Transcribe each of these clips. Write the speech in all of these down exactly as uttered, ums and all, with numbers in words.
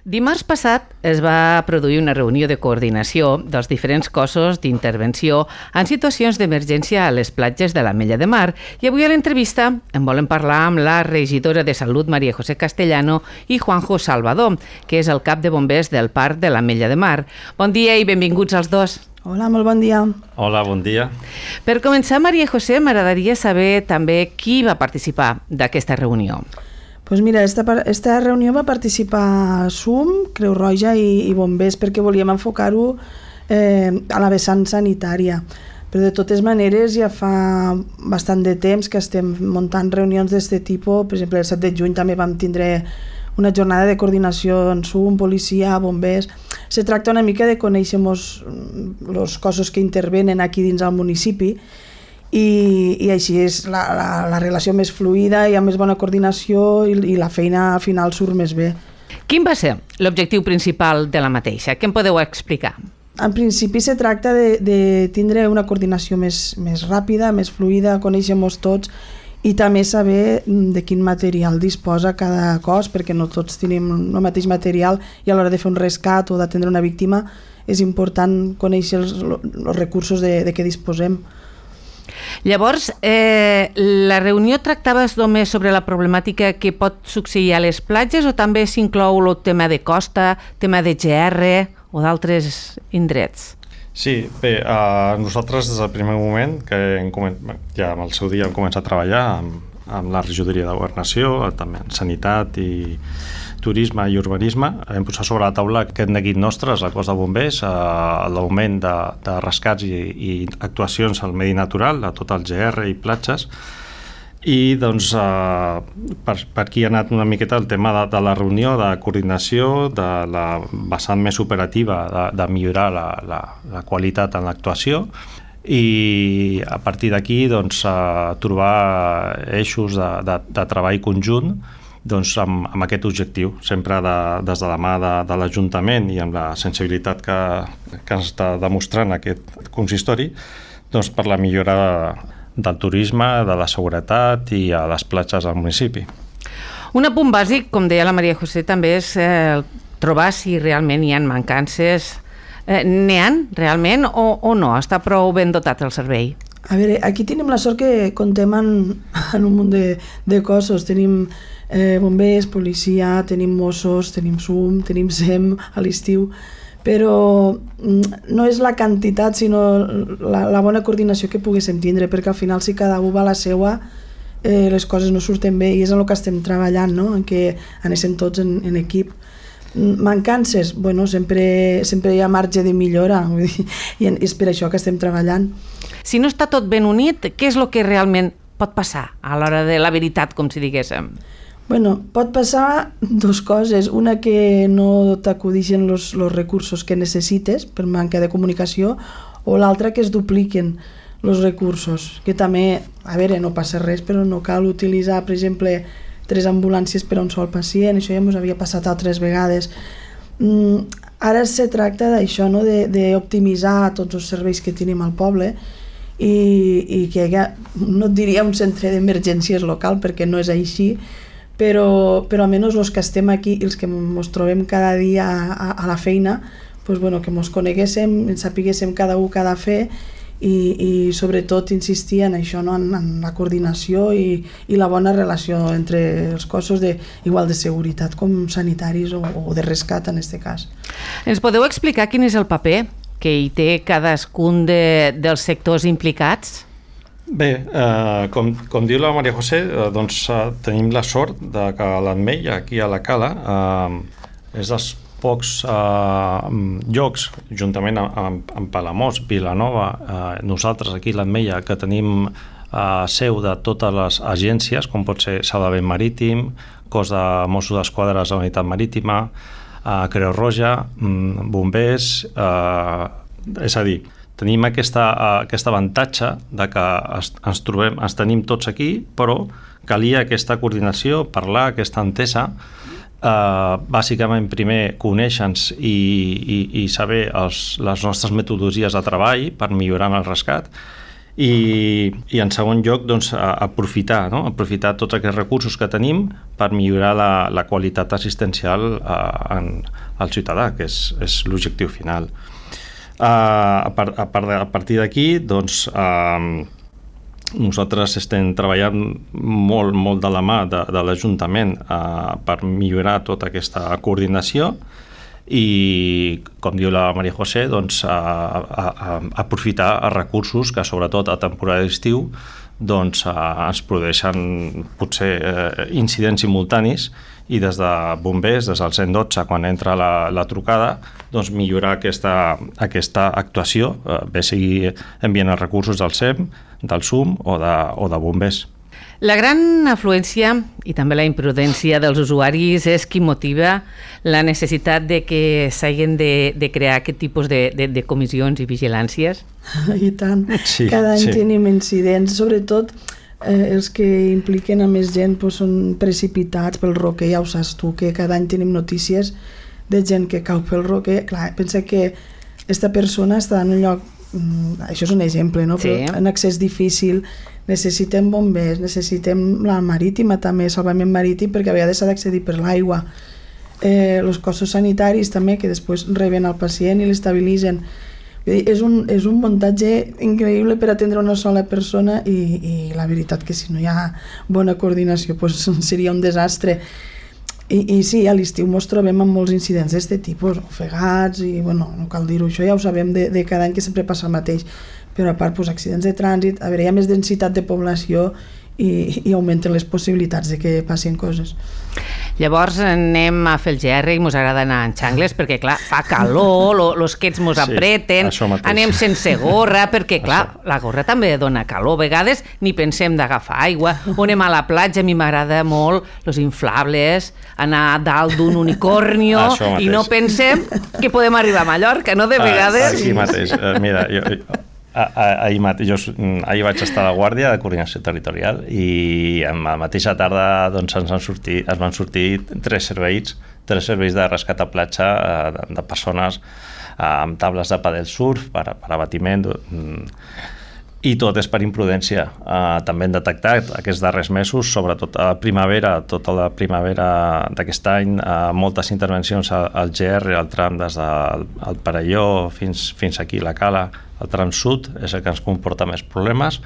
Dimarts passat es va produir una reunió de coordinació dels diferents cossos d'intervenció en situacions d'emergència a les platges de l'Ametlla de Mar i avui a l'entrevista en volem parlar amb la regidora de Salut María José Castellano i Juanjo Salvador, que és el cap de bombers del Parc de l'Ametlla de Mar. Bon dia i benvinguts als dos. Hola, molt bon dia. Hola, bon dia. Per començar, María José, m'agradaria saber també qui va participar d'aquesta reunió. Pues mira, esta, esta reunió va participar S U M, Creu Roja i, i bombers perquè volíem enfocar-ho eh, a la vessant sanitària. Però de totes maneres ja fa bastant de temps que estem muntant reunions d'aquest tipus. Per exemple, el set de juny també vam tindre una jornada de coordinació en S U M, policia, bombers. Se tracta una mica de conèixer els cossos que intervenen aquí dins del municipi i, i així és la, la, la relació més fluida, hi ha més bona coordinació i, i la feina al final surt més bé. Quin va ser l'objectiu principal de la mateixa? Què em podeu explicar? En principi se tracta de, de tindre una coordinació més, més ràpida, més fluida, conèixer-nos tots i també saber de quin material disposa cada cos, perquè no tots tenim el mateix material i a l'hora de fer un rescat o d'atendre una víctima és important conèixer els, els recursos de, de què disposem. Llavors, eh, la reunió tractava només sobre la problemàtica que pot succeir a les platges o també s'inclou el tema de costa, tema de G R o d'altres indrets? Sí, bé, eh, nosaltres des del primer moment que hem començat, ja en el seu dia hem començat a treballar amb, amb la regidoria de governació, també en sanitat i turisme i urbanisme, hem posat sobre la taula aquest neguit nostre, el cos de bombers, eh, l'augment de, de rescats i, i actuacions al medi natural, a tot el G R i platges, i doncs eh, per, per aquí ha anat una miqueta el tema de, de la reunió, de coordinació, de la vessant més operativa, de, de millorar la, la, la qualitat en l'actuació, i a partir d'aquí doncs, eh, trobar eixos de, de, de treball conjunt doncs, amb, amb aquest objectiu, sempre de, des de la mà de, de l'Ajuntament i amb la sensibilitat que, que ens està demostrant aquest consistori, doncs, per la millora del turisme, de la seguretat i a les platges del municipi. Un apunt bàsic, com deia la María José, també és eh, trobar si realment hi ha mancances. Eh, N'hi ha realment o, o no? Està prou ben dotat el servei? A veure, aquí tenim la sort que contem en, en un munt de, de cossos. Tenim eh, bombers, policia, tenim Mossos, tenim S U M, tenim S E M a l'estiu, però no és la quantitat sinó la, la bona coordinació que poguéssim tindre, perquè al final si cada un va a la seua eh, les coses no surten bé i és en el que estem treballant, no? En què anéssim tots en, en equip. Mancances? Bueno, sempre, sempre hi ha marge de millora i és per això que estem treballant. Si no està tot ben unit, què és el que realment pot passar a l'hora de la veritat, com si diguéssim? Bueno, pot passar dues coses. Una, que no t'acudixen els recursos que necessites per manca de comunicació, o l'altra, que es dupliquen els recursos. Que també, a veure, no passa res, però no cal utilitzar, per exemple, tres ambulàncies per a un sol pacient. Això ja ens havia passat altres vegades. Mm, ara se tracta d'això, no? d'optimitzar tots els serveis que tenim al poble i, i que hi ha, no et diria un centre d'emergències local, perquè no és així, però, però almenys els que estem aquí i els que ens trobem cada dia a, a la feina, pues bueno, que ens coneguéssim, ens sapiguéssim cada un què ha de fer i, i sobretot insistir en això, no? en, en la coordinació i, i la bona relació entre els cossos de, igual de seguretat com sanitaris o, o de rescat en aquest cas. Ens podeu explicar quin és el paper que hi té cadascun de, dels sectors implicats? Bé, eh, com, com diu la María José, eh, doncs eh, tenim la sort de que l'Ametlla, aquí a la Cala, eh, és dels pocs eh, llocs, juntament amb, amb, amb Palamós, Vilanova, eh, nosaltres aquí a l'Ametlla, que tenim eh, seu de totes les agències, com pot ser Salvament Marítim, Cos de Mossos d'Esquadra de la Unitat Marítima, eh, Creu Roja, mm, bombers, eh, és a dir, tenim aquesta, aquest avantatge de que es, ens trobem, ens tenim tots aquí, però calia aquesta coordinació, parlar, aquesta entesa, eh, bàsicament primer conèixer-nos i, i, i saber els, les nostres metodologies de treball per millorar el rescat I, i en segon lloc, doncs, aprofitar, no? aprofitar tots aquests recursos que tenim per millorar la, la qualitat assistencial uh, en, al ciutadà, que és, és l'objectiu final. Uh, a, par, a, part de, a partir d'aquí, doncs, uh, nosaltres estem treballant molt, molt de la mà de, de l'Ajuntament uh, per millorar tota aquesta coordinació i, com diu la Maria José, doncs, a, a, a aprofitar els recursos que, sobretot a temporada d'estiu, doncs, a, ens produeixen potser eh, incidents simultanis i des de bombers, des del cent dotze, quan entra la, la trucada, doncs, millorar aquesta, aquesta actuació, eh, bé sigui enviant els recursos del S E M, del S U M o de, o de bombers. La gran afluència i també la imprudència dels usuaris és qui motiva la necessitat de que s'hagin de, de crear aquest tipus de, de, de comissions i vigilàncies? I tant. Sí, Cada any sí. tenim incidents, sobretot eh, els que impliquen a més gent doncs, són precipitats pel roquer, ja ho saps tu, que cada any tenim notícies de gent que cau pel roquer. Clar, pensa que aquesta persona està en un lloc, això és un exemple, no? Sí. Però en accés difícil, necessitem bombers, necessitem la marítima també, salvament marítim, perquè a vegades s'ha d'accedir per l'aigua. Eh, els cossos sanitaris també, que després reben el pacient i l'estabilitzen. És un, és un muntatge increïble per atendre una sola persona i, i la veritat que si no hi ha bona coordinació doncs seria un desastre. I, i sí, a l'estiu ens trobem amb molts incidents d'aquest tipus, ofegats i, bueno, no cal dir-ho, això ja ho sabem de, de cada any que sempre passa el mateix, però a part, doncs, accidents de trànsit, a veure, hi ha més densitat de població i, i augmenten les possibilitats de que passin coses. Llavors anem a fer el G R i mos agrada anar en xangles perquè, clar, fa calor, lo, los quets mos apreten, sí, anem sense gorra perquè, clar, això. La gorra també dona calor. A vegades ni pensem d'agafar aigua. O anem a la platja, a mi m'agrada molt los inflables, anar dalt d'un unicornio i no pensem que podem arribar a Mallorca, no? De vegades... Aquí mateix. Mira, jo... Ahir, mate, jo, ahir vaig estar a la Guàrdia de Coordinació Territorial i a la mateixa tarda doncs, ens, han sortit, ens van sortir tres serveis, tres serveis de rescat a platja de, de persones amb tables de padel surf per, per abatiment i tot és per imprudència. Uh, també hem detectat aquests darrers mesos, sobretot a la primavera, tota la primavera d'aquest any, uh, moltes intervencions al, al G R, al tram des del al Perelló fins, fins aquí, la Cala, el tram sud, és el que ens comporta més problemes.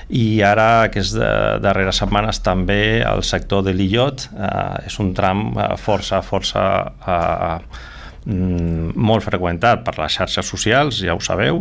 I ara, aquestes darreres setmanes, també el sector de l'Illot uh, és un tram uh, força, força... Uh, molt freqüentat per les xarxes socials, ja ho sabeu,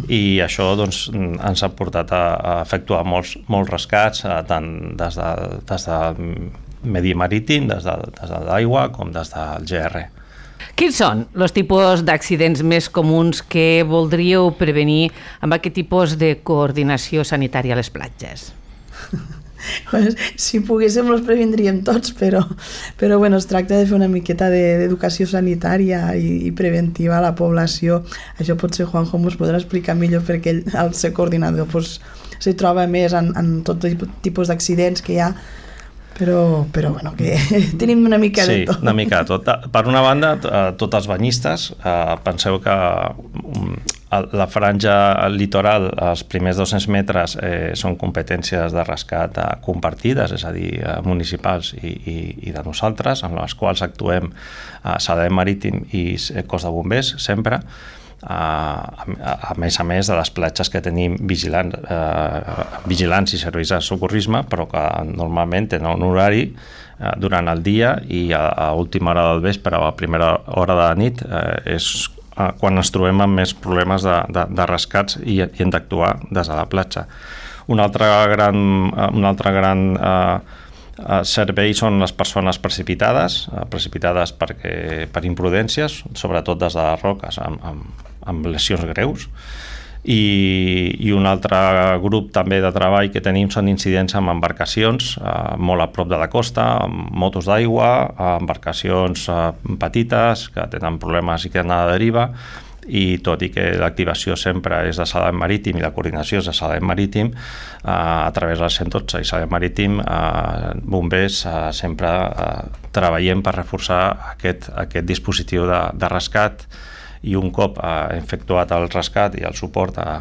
i això doncs, ens ha portat a, a efectuar molts, molts rescats, tant des, de, des del medi marítim, des de, des de l'aigua, com des del G R. Quins són els tipus d'accidents més comuns que voldríeu prevenir amb aquest tipus de coordinació sanitària a les platges? Si poguéssim els previndríem tots, però, però bueno, es tracta de fer una miqueta d'educació sanitària i, i preventiva a la població. Això potser Juanjo ens podrà explicar millor perquè ell, al ser coordinador, pues, se troba més en, en tot tipus d'accidents que hi ha, però, però bueno, que tenim una mica sí, de tot. Sí, una mica de tot. Per una banda, tots els banyistes, eh, penseu que la franja litoral, els primers dos-cents metres, eh, són competències de rescat eh, compartides, és a dir, eh, municipals i, i, i de nosaltres, en les quals actuem a eh, Salvament Marítim i Cos de Bombers, sempre, eh, a, a més a més de les platges que tenim vigilants, eh, vigilants i serveis de socorrisme, però que normalment tenen un horari eh, durant el dia i a, a última hora del vespre o a primera hora de la nit eh, és quan ens trobem amb més problemes de, de, de rescats i, i hem d'actuar des de la platja. Un altre gran, un altre gran eh, servei són les persones precipitades, eh, precipitades perquè, per imprudències, sobretot des de les roques, amb, amb, amb lesions greus. I, i un altre grup també de treball que tenim són incidents amb embarcacions eh, molt a prop de la costa, amb motos d'aigua, embarcacions eh, petites que tenen problemes i que han a la deriva, i tot i que l'activació sempre és de Salvament Marítim i la coordinació és de Salvament Marítim, eh, a través del cent dotze i Salvament Marítim, eh, bombers eh, sempre eh, treballem per reforçar aquest, aquest dispositiu de, de rescat, i un cop eh, efectuat el rescat i el suport a,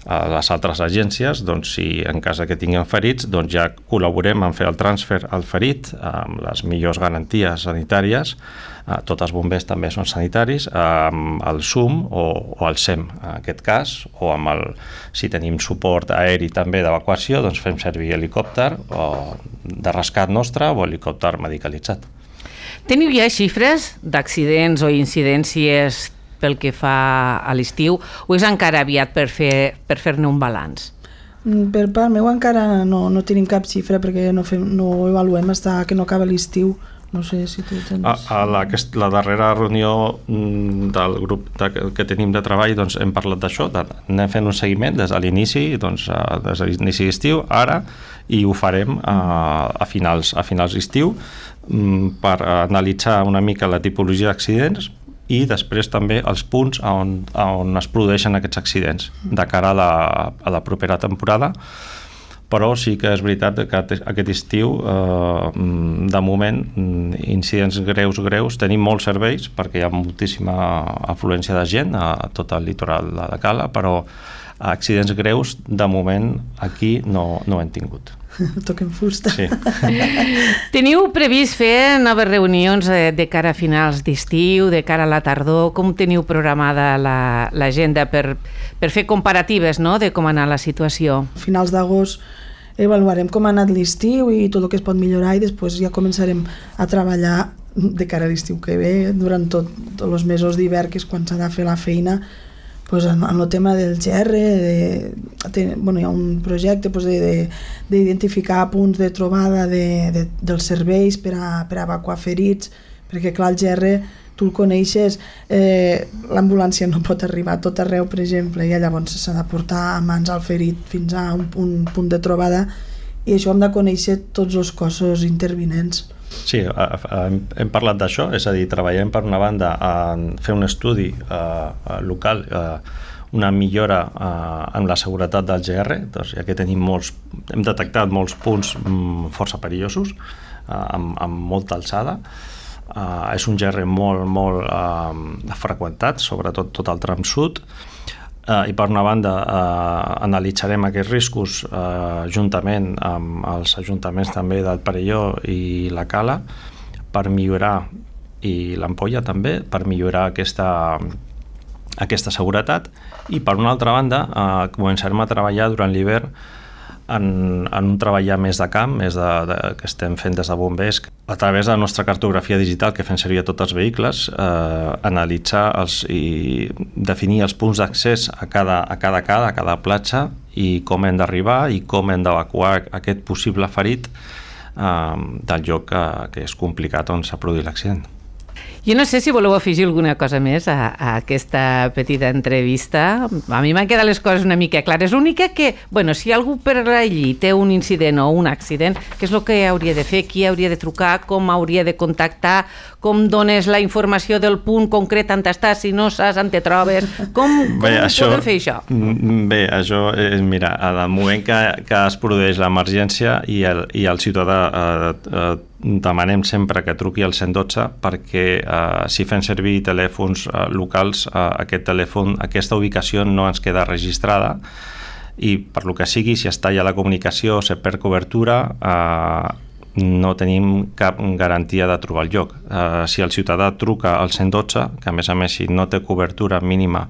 a les altres agències, doncs, si en cas que tinguem ferits, doncs ja col·laborem en fer el transfer al ferit amb les millors garanties sanitàries. Uh, tots els bombers també són sanitaris, amb el S U M o, o el S E M, en aquest cas, o amb el, si tenim suport aeri també d'evacuació, doncs fem servir helicòpter o de rescat nostre o helicòpter medicalitzat. Teniu ja xifres d'accidents o incidències pel que fa a l'estiu, o és encara aviat per fer per fer-ne un balanç? Per part meu encara no, no tenim cap xifra perquè no, fem, no avaluem fins que no acaba l'estiu. No sé si tu tens... A, a la, la darrera reunió del grup de, que tenim de treball, doncs hem parlat d'això, de, anem fent un seguiment des de l'inici, doncs, des de l'inici d'estiu, ara, i ho farem a, a finals a finals d'estiu per analitzar una mica la tipologia d'accidents i després també els punts on, on es produeixen aquests accidents de cara a la, a la propera temporada. Però sí que és veritat que aquest estiu, eh, de moment, incidents greus, greus, tenim molts serveis perquè hi ha moltíssima afluència de gent a tot el litoral de Cala, però accidents greus, de moment, aquí no, no hem tingut. Toquem fusta. Sí. Teniu previst fer noves reunions de cara a finals d'estiu, de cara a la tardor? Com teniu programada l'agenda per, per fer comparatives, no?, de com ha anat la situació? A finals d'agost avaluarem com ha anat l'estiu i tot el que es pot millorar i després ja començarem a treballar de cara a l'estiu que ve, durant tot, tots els mesos d'hivern, que és quan s'ha de fer la feina, pues en, en el tema del G R, de, de, bueno, hi ha un projecte pues, d'identificar punts de trobada de, de, dels serveis per a, per a evacuar ferits, perquè clar, el G R tu el coneixes, eh, l'ambulància no pot arribar a tot arreu, per exemple, i llavors s'ha de portar a mans al ferit fins a un, un punt de trobada, i això hem de conèixer tots els cossos intervinents. Sí, hem parlat d'això, és a dir, treballem per una banda en fer un estudi eh, local, eh, una millora eh, en la seguretat del G R, doncs, ja que tenim molts, hem detectat molts punts mm, força perillosos, eh, amb, amb molta alçada. Uh, és un G R molt, molt uh, freqüentat, sobretot tot el tram sud, uh, i per una banda uh, analitzarem aquests riscos uh, juntament amb els ajuntaments també del Perelló i la Cala per millorar, i l'Ampolla també, per millorar aquesta, aquesta seguretat, i per una altra banda uh, començarem a treballar durant l'hivern En, en un treball ja més de camp, més de, de, que estem fent des de bombers, a través de la nostra cartografia digital que fem servir a tots els vehicles, eh, analitzar els, i definir els punts d'accés a cada, a cada cada, a cada platja, i com hem d'arribar i com hem d'evacuar aquest possible ferit eh, del lloc que, que és complicat on s'ha produït l'accident. Jo no sé si voleu afegir alguna cosa més a, a aquesta petita entrevista. A mi m'han quedat les coses una mica clares. L'única que, bueno, si algú per allí té un incident o un accident, què és el que hauria de fer, qui hauria de trucar, com hauria de contactar, com dones la informació del punt concret on estàs, si no saps on te trobes, com, com bé, això, podem fer això? Bé, això és, mira, al moment que, que es produeix l'emergència i el, i el ciutadà eh, eh, demanem sempre que truqui al cent dotze perquè eh, si fem servir telèfons eh, locals, eh, aquest telèfon, aquesta ubicació no ens queda registrada, i per lo que sigui, si es talla la comunicació, se perd cobertura, eh, no tenim cap garantia de trobar el lloc. Eh, si el ciutadà truca al cent dotze, que a més a més si no té cobertura mínima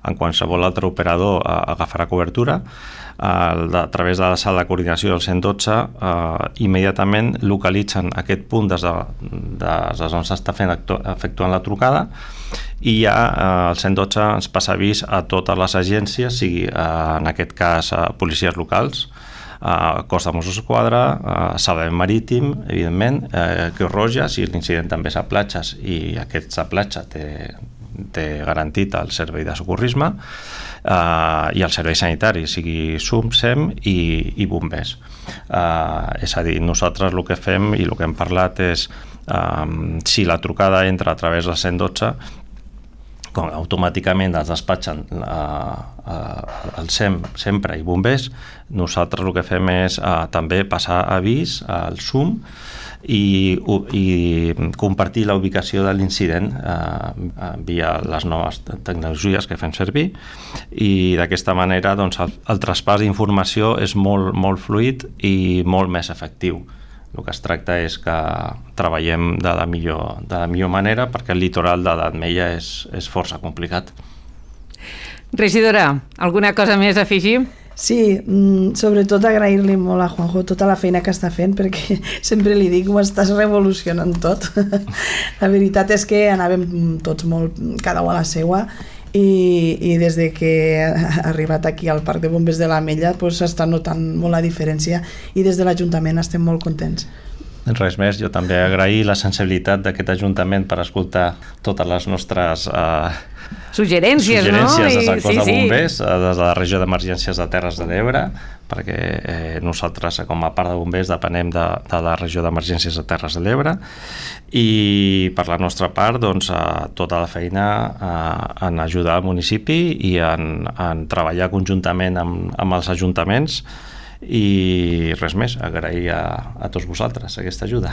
en qualsevol altre operador eh, agafarà cobertura, eh, a través de la sala de coordinació del cent dotze eh, immediatament localitzen aquest punt des, de, des d'on s'està fent efectuant la trucada, i ja eh, el cent dotze ens passa avís a totes les agències, sigui eh, en aquest cas eh, policies locals, Uh, Cos de Mossos d'Esquadra, uh, Salvament Marítim, evidentment, uh, Creu Roja, si l'incident també és a platges i aquest a platja té, té garantit el servei de socorrisme, uh, i el servei sanitari, sigui S U M, S E M i, i bombers. Uh, és a dir, nosaltres el que fem i el que hem parlat és um, si la trucada entra a través del cent dotze, com automàticament es despatxen uh, uh, el S E M sempre i bombers, nosaltres el que fem és uh, també passar avís al S U M i, i compartir la ubicació de l'incident eh, via les noves tecnologies que fem servir, i d'aquesta manera doncs, el, el traspàs d'informació és molt, molt fluid i molt més efectiu. El que es tracta és que treballem de la millor, de la millor manera, perquè el litoral de l'Ametlla és, és força complicat. Regidora, alguna cosa més a afegir? Sí, sobretot agrair-li molt a Juanjo tota la feina que està fent, perquè sempre li dic, ho estàs revolucionant tot. La veritat és que anàvem tots molt, cada un a la seua, i, i des de que ha arribat aquí al Parc de Bombers de l'Ametlla pues, s'està notant molt la diferència, i des de l'Ajuntament estem molt contents. Res més, jo també agrair la sensibilitat d'aquest Ajuntament per escoltar totes les nostres eh, suggerències, suggerències no? des del cos sí, de bombers, sí. des de la regió d'emergències de Terres de l'Ebre, perquè eh, nosaltres com a part de bombers depenem de, de la regió d'emergències de Terres de l'Ebre, i per la nostra part doncs, eh, tota la feina eh, en ajudar al municipi i en, en treballar conjuntament amb, amb els ajuntaments, i res més, agrair a, a tots vosaltres aquesta ajuda.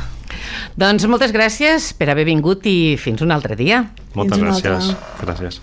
Doncs moltes gràcies per haver vingut i fins un altre dia. Moltes Fins gràcies. altre. Gràcies.